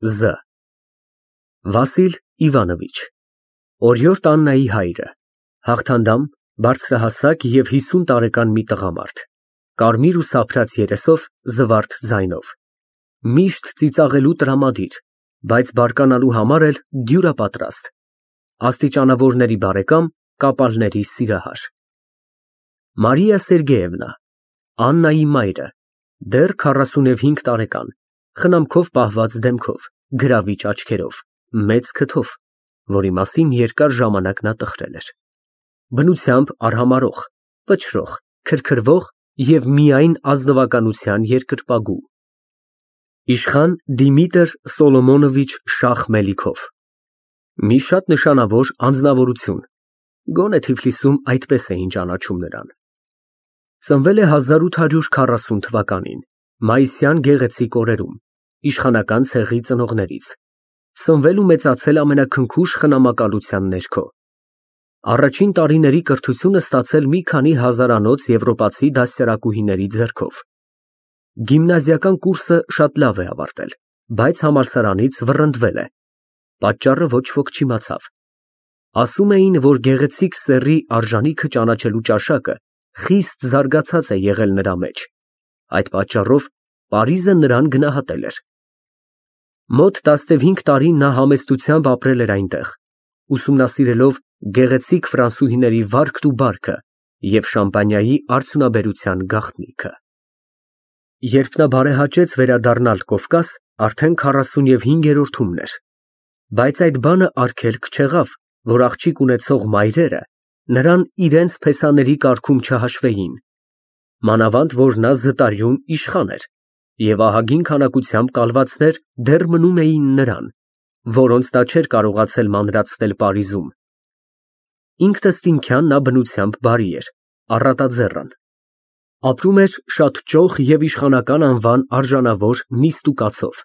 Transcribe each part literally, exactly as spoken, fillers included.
Զ Վասիլ Իվանովիչ Օրիորդ Աննայի հայրը, հաղթանդամ, բարձրահասակ և հիսուն տարեկան մի տղամարդ, կարմիր ու սափրած երեսով, զվարթ ձայնով, միշտ ծիծաղելու տրամադիր, բայց բարկանալու համար էլ դյուրապատրաստ, աստիճանավորների բարեկամ, կապալների սիրահար։ Մարիա Սերգեևնա, Աննայի մայրը, դեռ քառասունհինգ տարեկան, խնամքով պահված դեմքով, գրավիչ աչքերով, մեծ քթով, որի մասին երկար ժամանակ նա տխրել էր, բնությամբ արհամարհող, պչրող, քրքրվող և միայն ազնվականության երկրպագու։ Իշխան Դիմիտր Սոլոմոնովիչ Շախ Մելիքով մի շատ նշանավոր անձնավորություն, գոնե Թիֆլիսում այդպես էին ճանաչում նրան։ Ծնվել է հազար ութ հարյուր քառասուն թվականին մայիսյան գեղեցիկ օրերում, իշխանական ցեղի ծնողներից, սնվել ու մեծացել ամենաքնքուշ խնամակալության ներքո, առաջին տարիների կրթությունը ստացել մի քանի հազարանոց եվրոպացի դաստիարակուհիների ձեռքով, գիմնազիական կուրսը շատ լավ է ավարտել, բայց համալսարանից վռնդվել է, պատճառը ոչ ոք չիմացավ, ասում էին, որ գեղեցիկ սեռի արժանիքը ճանաչելու ճաշակը խիստ զարգացած է եղել նրա մեջ, այդ պատճառով Պարիզը նրան գնահատել էր։ Մոտ տասնհինգ տարի նա համեստությամբ ապրել էր այնտեղ, ուսումնասիրելով գեղեցիկ ֆրանսուհիների վարքն ու բարքը և շամպանիայի արդյունաբերության գաղտնիքը։ Երբ նա բարեհաճեց վերադառնալ Կովկաս, արդեն քառասունհինգերորդումն էր, բայց այդ բանը արգելք չեղավ, որ աղջիկ ունեցող մայրերը նրան իրենց փեսաների կարգում չհաշվեին, մանավանդ որ նա զտարյուն իշխան էր, և ահագին քանակությամբ կալվածներ դեռ մնում էին նրան, որոնց նա չէր կարողացել մանրացնել Պարիզում։ Ինքնըստինքյան նա բնությամբ բարի էր, առատաձեռն, ապրում էր շատ ճոխ և իշխանական անվան արժանավոր նիստ ու կացով։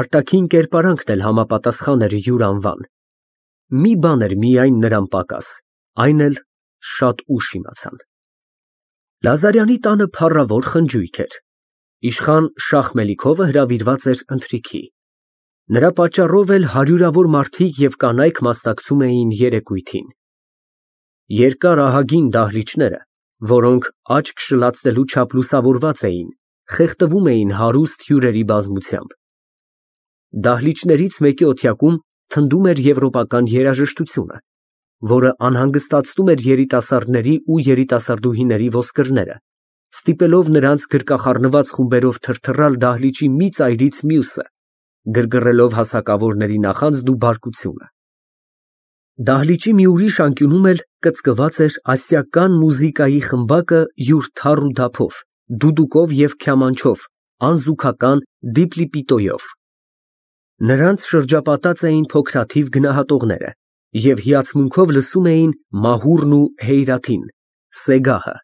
Արտաքին կերպարանքն էլ համապատասխան էր յուր անվան, մի բան էր միայն նրան պակաս, այն էլ շատ ուշ իմացան։ Լազարյանի տանը փառավոր խնջույք էր, իշխան Շախ Մելիքովը հրավիրված էր ընթրիքի, նրա պատճառով էլ հարյուրավոր մարդիկ և կանայք մասնակցում էին երեկույթին։ Երկար ահագին դահլիճները, որոնք աչք շլացնելու չափ լուսավորված էին, խեղդվում էին հարուստ հյուրերի բազմությամբ։ Դահլիճներից մեկի օթյակում թնդում էր եվրոպական երաժշտությունը, որը անհանգստացնում էր երիտասարդների ու երիտասարդուհիների ոսկրները, ստիպելով նրանց գրկախառնված խումբերով թրթռալ դահլիճի մի ծայրից մյուսը, գրգռելով հասակավորների նախանձն ու բարկությունը։ Դահլիճի մի ուրիշ անկյունում էլ կծկված էր ասիական մուզիկայի խմբակը յուր թառ ու դափով, դուդուկով և քյամանչով, անզուգական դիպլիպիտոյով։ Նրանց շրջապատած էին փոքրաթիվ գնահատողները և հիացմունքով լսում էին մահուրն ու հեյրաթին, սեգահը։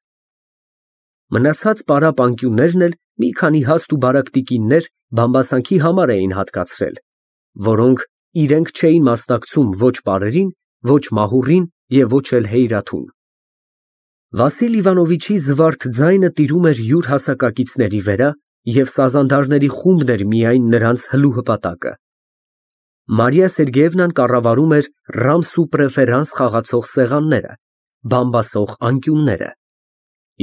Մնացած պարապ անկյուններն էլ մի քանի հաստ ու բարակ տիկիններ բամբասանքի համար էին հատկացրել, որոնք իրենք չէին մասնակցում ոչ պարերին, ոչ մահուրին և ոչ էլ հեյրաթուն։ Վասիլ Իվանովիչի զվարթ ձայնը տիրում էր յուր հասակակիցների վերա և սազանդարների խումբն էր միայն նրանց հլու հպատակը։ Մարիա Սերգեևնան կառավարում էր ռամս ու պրեֆերանս խաղացող սեղանները, բամբասող անկյունները,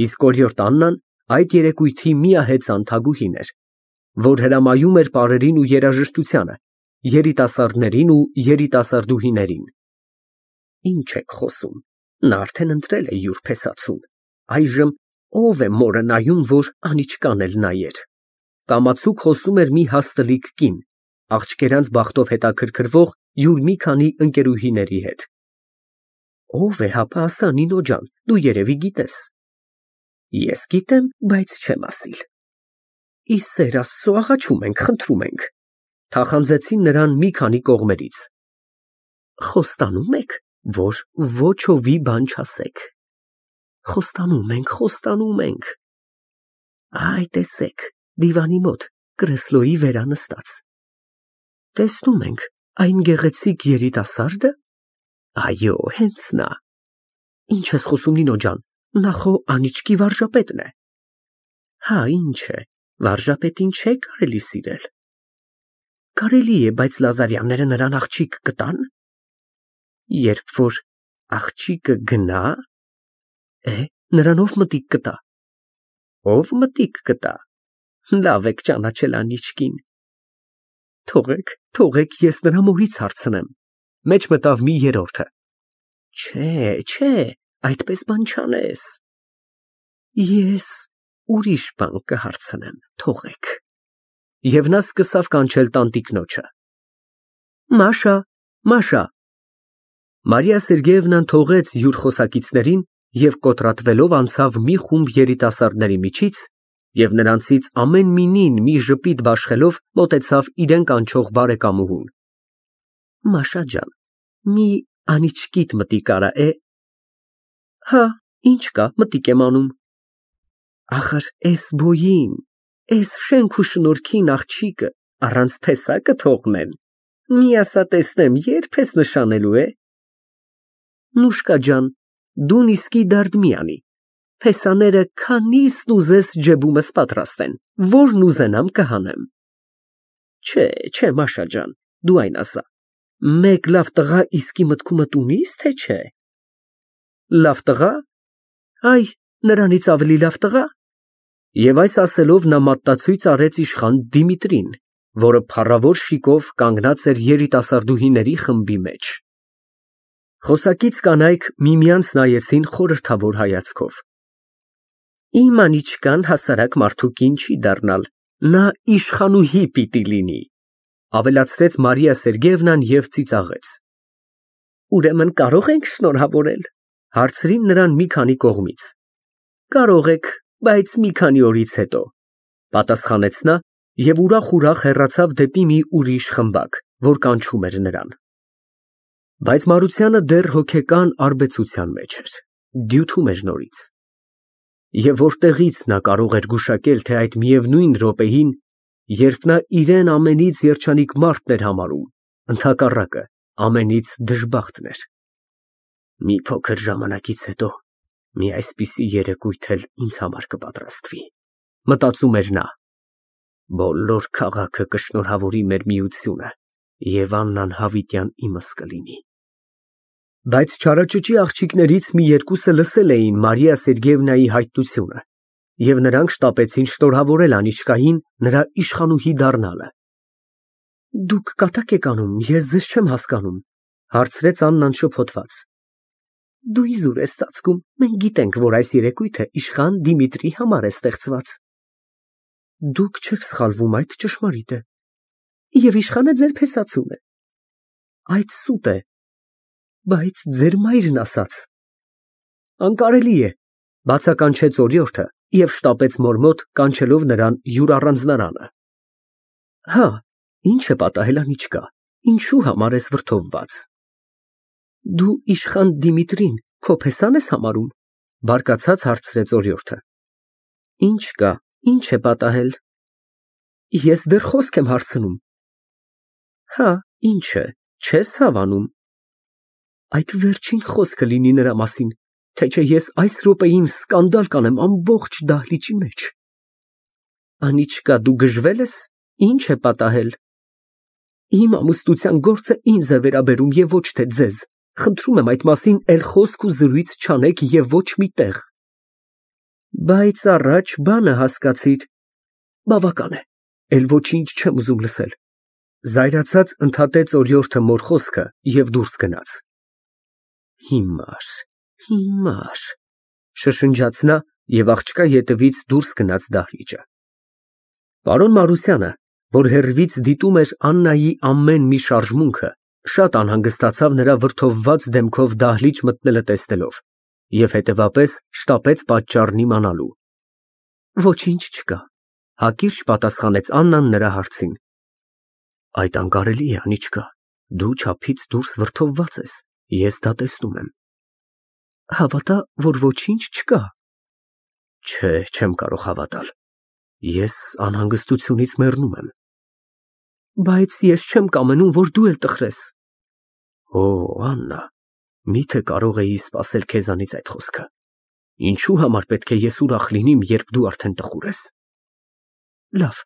իսկ օրիորդ Աննան այդ երեկույթի միահեծան թագուհին էր, որ հրամայում էր պարերին ու երաժշտությանը, երիտասարդներին ու երիտասարդուհիներին։ Ինչ եք խոսում, նա արդեն ընտրել է յուր փեսացուն, այժմ ո՞վ է մորը նայում, որ անիծկան էլ նայեր, կամացուկ խոսում էր մի հաստլիկ կին, աղջկերանց բախտով հետաքրքրվող յուր մի քանի ընկերուհիների հետ։ Ո՞վ է, հապա ասա, Նինո ջան, դու երևի գիտես։ Ես գիտեմ, բայց չեմ ասիլ։ Ի սեր Աստծո, աղաչում ենք, խնդրում ենք, թախանձեցին նրան մի քանի կողմերից։ Խոստանում եք, որ ոչովի բան չասեք։ Խոստանում ենք, խոստանում ենք։ Այ տեսեք, դիվանի մոտ, կրեսլոյի վերա նստած։ Տեսնում ենք, այն գեղեցիկ երիտասարդը։ Այո, հենց նա։ Ինչ ես խոսում, Նինո ջան, նա խո անիծկի վարժապետն է։ Հա, ինչ է, վարժապետին չէ կարելի սիրել։ Կարելի է, բայց Լազարյանները նրան աղջիկ կտան։ Երբ որ աղջիկը գնա, է, նրան ով մտիկ կտա։ Ով մտիկ կտա։ Լավ եք ճանաչել Անիչկին։ Թողեք, թողեք, ես նրա մորից հարցնեմ։ Մեջ մտավ մի երրորդը։ Չէ, չէ, այդպես բան չանես։ Ես ուրիշ բան կհարցնեմ, թողեք։ Եվ նա սկսավ կանչել տանտիկնոջը։ Մաշա, Մաշա։ Մարիա Սերգեևնան թողեց յուր խոսակիցներին և կոտրատվելով անցավ մի խումբ երիտասարդների միջից և նրանցից ամեն մինին մի ժպիտ բաշխելով մոտեցավ իրեն կանչող բարեկամուհուն։ Մաշա ջան, մի Անիչկիդ մտիկ արա է։ Հա, ինչ կա, մտիկ եմ անում։ Ախր էս բոյին, էս շենք ու շնորհքին աղջիկը առանց փեսա կթողնեն։ Մի ասա տեսնեմ, երբ ես նշանելու է։ Նուշկա ջան, դուն իսկի դարդ մի անի։ Փեսաները քանիսն ուզես ջեբումս պատրաստ են, որն ուզենամ կհանեմ։ Չէ, չէ, Մաշա ջան, դու այն ասա։ Մեկ լավ տղա իսկի մտքումդ ունի՞ս, թե չէ։ Լավ տղա։ Այ, նրանից ավելի լավ տղա։ Եվ այս ասելով նա մատտացույց արեց իշխան Դիմիտրին, որը փառավոր շիկով կանգնած էր երիտասարդուհիների խմբի մեջ։ Խոսակից կանայք միմյանց նայեցին խորհրդավոր հայացքով։ Իմ Անիչկան հասարակ մարդու կին չի դառնալ, նա իշխանուհի պիտի լինի, ավելացրեց Մարիա Սերգեևնան և ծիծաղեց։ Ուրեմն կարող ենք շնորհավորել, հարցրին նրան մի քանի կողմից։ Կարող եք, բայց մի քանի օրից հետո, պատասխանեց նա և ուրախ-ուրախ հեռացավ դեպի մի ուրիշ խմբակ, որ կանչում էր նրան։ Բայց Մարությանը դեռ հոգեկան արբեցության մեջ էր, դյութում էր նորից։ Եվ որտեղից նա կարող էր գուշակել, թե այդ միևնույն րոպեին, երբ նա իրեն ամենից երջանիկ մարդն էր համարում, ընդհակառակը ամենից դժբախտն էր։ Մի փոքր ժամանակից հետո մի այսպիսի երեկույթ էլ ինձ համար կպատրաստվի, մտածում էր նա։ Բոլոր քաղաքը կշնորհավորի մեր միությունը, և Աննան հավիտյան իմս կլինի։ Բայց չարաճճի աղջիկներից մի երկուսը լսել էին Մարիա Սերգեևնայի հայտնությունը, և նրանք շտապեցին շնորհավորել Անիչկային նրա իշխանուհի դառնալը։ Դուք կատակ եք անում, ես ձեզ չեմ հասկանում, հարցրեց Աննան շփոթված։ Դու իզուր ես ծածկում, մենք գիտենք, որ այս երեկույթը իշխան Դիմիտրի համար է ստեղծված։ Դուք չեք սխալվում, այդ ճշմարիտ է։ Եվ իշխանը ձեր փեսացուն է։ Այդ սուտ է։ Բայց ձեր մայրն ասաց։ Անկարելի է, բացականչեց օրիորդը և շտապեց մոր մոտ, կանչելով նրան յուր առանձնարանը։ Հա, ինչ է պատահել Անիչկա, ինչու համար ես վրդովված։ Դու իշխան Դիմիտրին քո փեսան ես համարում, բարկացած հարցրեց օրիորդը։ Ինչ կա, ինչ է պատահել։ Ես դեռ խոսք եմ հարցնում։ Հա, ինչ է, չես հավանում։ Այդ վերջին խոսքը լինի նրա մասին, թե չէ ես այս րոպեին սկանդալ կանեմ ամբողջ դահլիճի մեջ։ Անիչկա, դու գժվել ես, ինչ է պատահել։ Իմ ամուսնության գործը ինձ է վերաբերում և ոչ թե ձեզ։ Խնդրում եմ այդ մասին էլ խոսք ու զրույց չանեք և ոչ մի տեղ։ Բայց առաջ բանը հասկացիր։ Բավական է, էլ ոչինչ չեմ ուզում լսել։ Զայրացած ընդհատեց օրիորդը մոր խոսքը և դուրս գնաց։ Հիմար, հիմար, շշնջաց նա և աղջկա ետևից դուրս գնաց դահլիճը։ Պարոն Մարությանը, որ հեռվից դիտում էր Աննայի ամեն մի շարժմունքը, շատ անհանգստացավ նրա վրդովված դեմքով դահլիճ մտնելը տեսնելով և հետևապես շտապեց պատճառն իմանալու։ Ոչինչ չկա, հակիրճ պատասխանեց Աննան նրա հարցին։ Այդ անկարելի է, Անիչկա, դու չափից դուրս վրդովված ես, ես դա տեսնում եմ։ Հավատա, որ ոչինչ չկա։ Չէ, չեմ կարող հավատալ։ Ես անհանգստությունից մեռնում եմ։ Բայց ես չեմ կամենում, որ դու էլ տխրես։ Օ, Աննա, միթե կարող էի սպասել քեզանից այդ խոսքը։ Ինչու համար պետք է ես ուրախ լինիմ, երբ դու արդեն տխուր ես։ Լավ,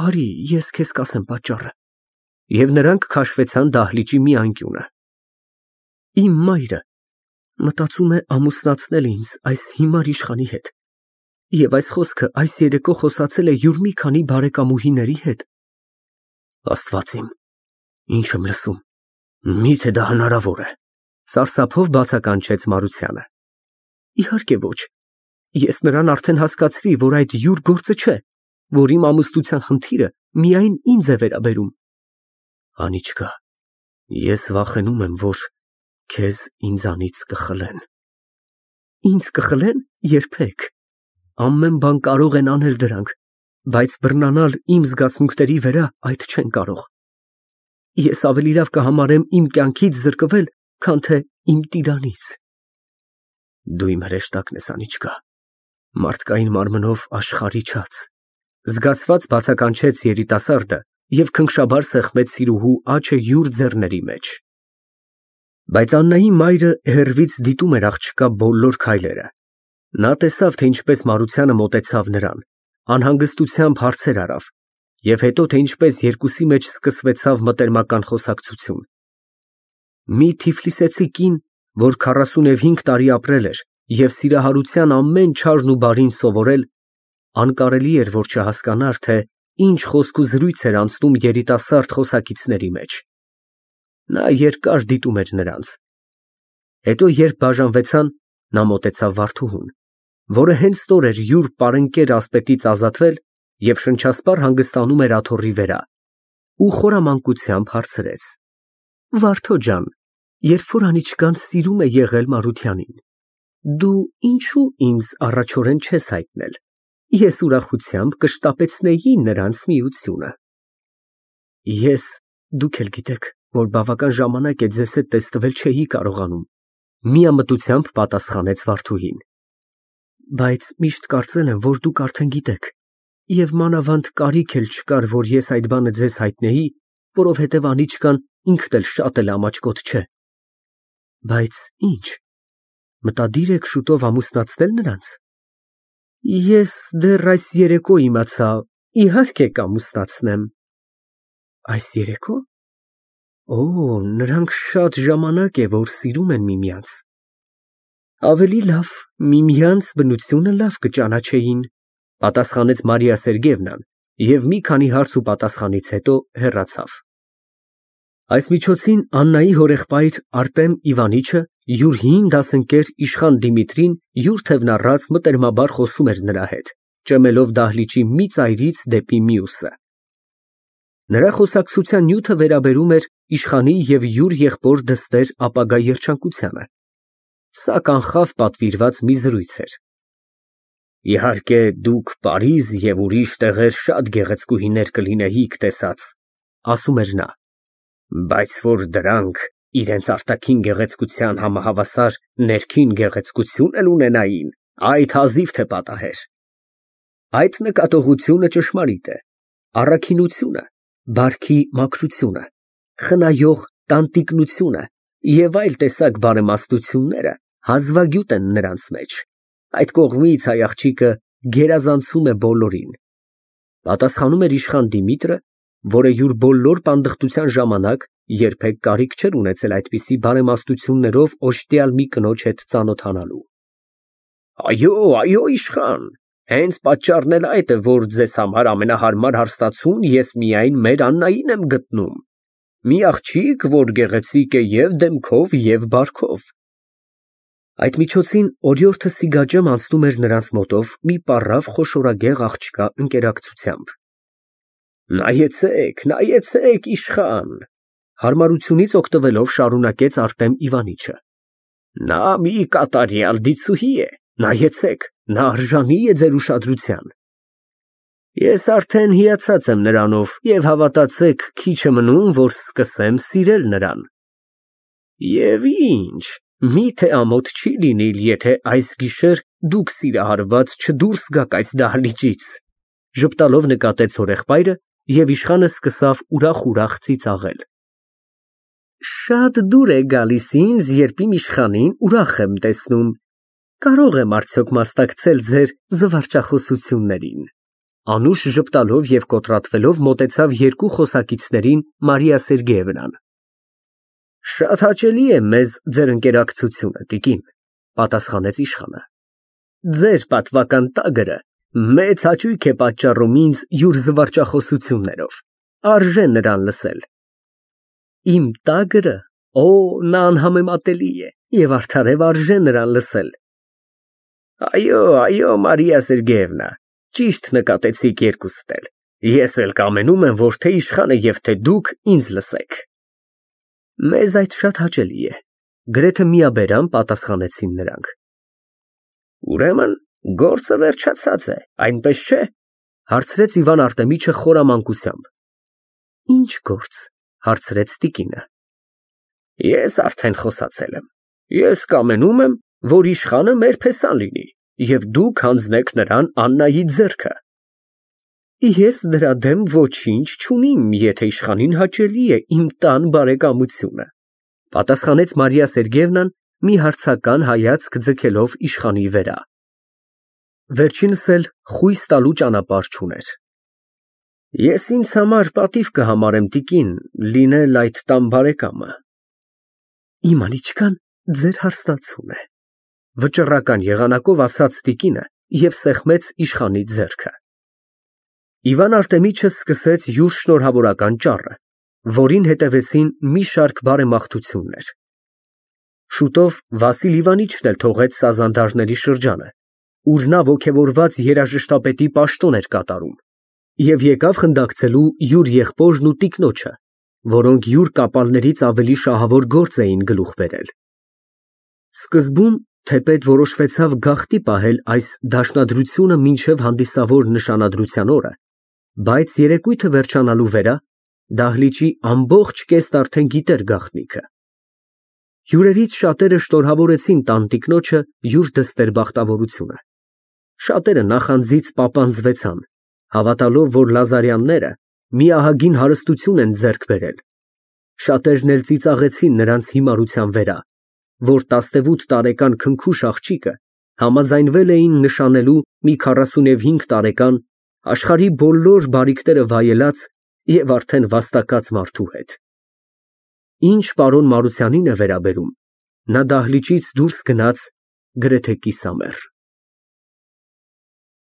արի, ես քեզ կասեմ պատճառը։ և նրանք քաշվեցան դահլիճի մի անկյունը։ Իմ մայրը մտածում է ամուսնացնել ինձ այս հիմար իշխանի հետ, և այս խոսքը այս երեկո խոսացել է յուր մի քանի բարեկամուհիների հետ։ Աստված իմ, ինչ եմ լսում, միթե դա հնարավոր է, սարսափով բացականչեց Մարությանը։ Իհարկե ոչ, ես նրան արդեն հասկացրի, որ այդ յուր գործը չէ, որ իմ ամուսնության խնդիրը միայն ինձ է վերաբերում։ Անիծկա, ես վախենում եմ, որ քեզ ինձանից կխլեն։ Ինձ կխլեն, երբեք, ամեն բան կարող են անել դրանք, բայց բռնանալ իմ զգացմունքների վրա այդ չեն կարող։ Ես ավելի լավ կհամարեմ իմ կյանքից զրկվել, քան թե իմ տիրանից։ Դու իմ հրեշտակն ես, Անիչկա, մարդկային մարմնով աշխարհի չած, զգացված բացականչեց երիտասարդը և քնքշաբար սեղմեց սիրուհու աչը յուր ձեռների մեջ։ Բայց Աննայի մայրը հեռվից դիտում էր աղջկա բոլոր քայլերը։ Նա տեսավ, թե ինչպես Մարությանը մոտեցավ նրան, անհանգստությամբ հարցեր արավ, և հետո, թե ինչպես երկուսի մեջ սկսվեցավ մտերմական խոսակցություն։ Մի թիֆլիսեցի կին, որ քառասունհինգ տարի ապրել էր և սիրահարության ամեն չարն ու բարին սովորել, անկարելի էր, որ չհասկանար, թե ինչ խոսք ու զրույց էր անցնում երիտասարդ խոսակիցների մեջ։ Նա երկար դիտում էր նրանց։ Հետո, երբ բաժանվեցան, նա մոտեցավ Վարդուհուն, որը հենց ստոր էր յուր պարենկեր ասպետից ազատվել և շնչասպառ հանգստանում էր աթոռի վրա, ու խորամանկությամբ հարցրեց. Վարդո ջան, երբ որ Անիչկան սիրում է եղել Մարությանին, դու ինչո՞ւ ինձ առաջորեն չես հայտնել, ես ուրախությամբ կշտապեցնեի նրանց միությունը։ Ես, դուք էլ գիտեք, որ բավական ժամանակ է ձեզ հետ տեսնվել չէի կարողանում, միամտությամբ պատասխանեց Վարդուհին։ Բայց միշտ կարծել եմ, որ դուք արդեն գիտեք, և մանավանդ կարիք էլ չկար, որ ես այդ բանը ձեզ հայտնեի, որովհետև Անիչկան ինքն էլ շատ էլ ամաչկոտ չէ։ Բայց ի՞նչ, մտադիր եք շուտով ամուսնացնել նրանց։ Ես դեռ այս երեկո իմացա, իհարկե կամուսնացնեմ։ Այս երեկո։ Օ, նրանք շատ ժամանակ է, որ սիրում են միմյանց։ Ավելի լավ, միմյանց բնությունը լավ կճանաչեին, պատասխանեց Մարիա Սերգեյևնան և մի քանի հարց ու պատասխանից հետո հեռացավ։ Այս միջոցին Աննայի հորեղբայր Արտեմ Իվանիչը յուր հին դասընկեր իշխան Դիմիտրին յուր թևնառած մտերմաբար խոսում էր նրա հետ, ճմելով դահլիճի մի ծայրից դեպի մյուսը։ Նրա խոսակցության նյութը վերաբերում էր իշխանի և յուր եղբոր դստեր ապագա երջանկությանը։ Սա կանխավ պատվիրված մի զրույց էր։ Իհարկե, դուք Փարիզ և ուրիշ տեղեր շատ գեղեցկուհիներ կլինեիք տեսած, ասում էր նա, բայց որ դրանք իրենց արտաքին գեղեցկության համահավասար ներքին գեղեցկություն էլ ունենային, այդ հազիվ թե պատահեր։ Այդ նկատողությունը ճշմարիտ է։ Առաքինությունը, բարքի մաքրությունը, խնայող տանտիկնությունը և այլ տեսակ բարեմաստությունները հազվագյուտ են նրանց մեջ։ Այդ կողմից հայ աղջիկը գերազանցում է բոլորին։ Պատասխանում էր իշխան Դիմիտրը, որը յուր բոլոր պանդխտության ժամանակ երբեք կարիք չէր ունեցել այդպիսի բարեմաստություններով օժտյալ մի կնոջ հետ ծանոթանալու։ Այո, այո, իշխան, հենց պատճառն էլ այդ է, որ ձեզ համար ամենահարմար հարստացուն ես միայն մեր Աննային եմ գտնում։ Մի աղջիկ, որ գեղեցիկ է և դեմքով, և բարքով։ Այդ միջոցին օրիորդը Սիգաջամ անցնում էր նրանց մոտով մի պառավ խոշորագեղ աղջկա ընկերակցությամբ։ Նայեցեք, նայեցեք, իշխան, հարմարությունից օգտվելով շարունակեց Արտեմ Իվանիչը։ Նա մի կատարյալ դիցուհի է, նայեցեք, նա արժանի է ձեր ուշադրության։ Ես արդեն հիացած եմ նրանով և հավատացեք, քիչ է մնում, որ սկսեմ սիրել նրան։ Եվ ինչ, միթե ամոթ չի լինիլ, եթե այս գիշեր դուք սիրահարված չդուրս գաք այս դահլիճից, ժպտալով նկատեց հորեղբայրը, և իշխանը սկսավ ուրախ֊ուրախ ծիծաղել։ Շատ դուր է գալիս ինձ, երբ իմ իշխանին ուրախ եմ տեսնում։ Կարո՞ղ եմ արդյոք մասնակցել ձեր զվարճախոսություններին։ Անուշ ժպտալով և կոտրատվելով մոտեցավ երկու խոսակիցներին Մարիա Սերգեևնան։ Շատ հաճելի է մեզ ձեր ընկերակցությունը, տիկին, պատասխանեց իշխանը։ Ձեր պատվական տագրը մեծ հաճույք է պատճառում ինձ յուր զվարճախոսություններով, արժե նրան լսել։ Իմ տագրը, օ, նա անհամեմատելի է և արդարև արժե նրան լսել։ Այո, այո, Մարիա Սերգեևնա, ճիշտ նկատեցիք երկուսդ էլ, ես էլ կամենում եմ, որ թե իշխանը և թե դուք ինձ լսեք։ Մեզ այդ շատ հաճելի է, գրեթե միաբերան պատասխանեցին նրանք։ Ուրեմն գործը վերջացած է, այնպես չէ, հարցրեց Իվան Արտեմիչը խորամանկությամբ։ Ինչ գործ, հարցրեց տիկինը։ Ես արդեն խոսացել եմ, ես կամենում եմ, որ իշխանը մեր փեսան լինի, և դուք հանձնեք նրան Աննայի ձեռքը։ Ես դրա դեմ ոչինչ չունիմ, եթե իշխանին հաճելի է իմ տան բարեկամությունը, պատասխանեց Մարիա Սերգեևնան մի հարցական հայացք ձգելով իշխանի վրա։ Վերջինս էլ խույս տալու ճանապարհ չուներ։ Ես ինձ համար պատիվ կհամարեմ, տիկին, լինել այդ տան բարեկամը։ Իմ անիծկան ձեր հարստացուն է, վճռական եղանակով ասաց տիկինը և սեղմեց իշխանի ձեռքը։ Իվան Արտեմիչը սկսեց յուր շնորհավորական ճառը, որին հետևեցին մի շարք բարեմաղթություններ։ Շուտով Վասիլ Իվանիչն էլ թողեց Սազանդարների շրջանը, ուր նա ոգևորված երաժշտապետի պաշտոն էր կատարում, և եկավ խնդակցելու յուր եղբորն ու տիկնոջը, որոնք յուր կապալներից ավելի շահավոր գործ էին գլուխ բերել։ Սկզբում թեպետ որոշվեցավ գաղտնի պահել այս դաշնադրությունը մինչև հանդիսավոր նշանադրության օրը, բայց երեկույթը վերջանալու վրա դահլիճի ամբողջ կեստ արդեն գիտեր գաղտնիքը։ Հյուրերից շատերը շնորհավորեցին տանտիկնոջը յուր դստեր բախտավորությունը։ Շատերը նախանձից պապանձվեցան, հավատալով, որ Լազարյանները մի ահագին հարստություն են ձեռք բերել։ Շատերն էլ ծիծաղեցին նրանց հիմարության վրա, որ տասնևութ տարեկան քնքուշ աղջիկը համաձայնվել էին նշանելու մի քառասունհինգ տարեկան, աշխարհի բոլոր բարիքները վայելած և արդեն վաստակած մարդու հետ։ Ինչ պարոն Մարությանին է վերաբերում, նա դահլիճից դուրս գնաց գրեթե կիսամեռ։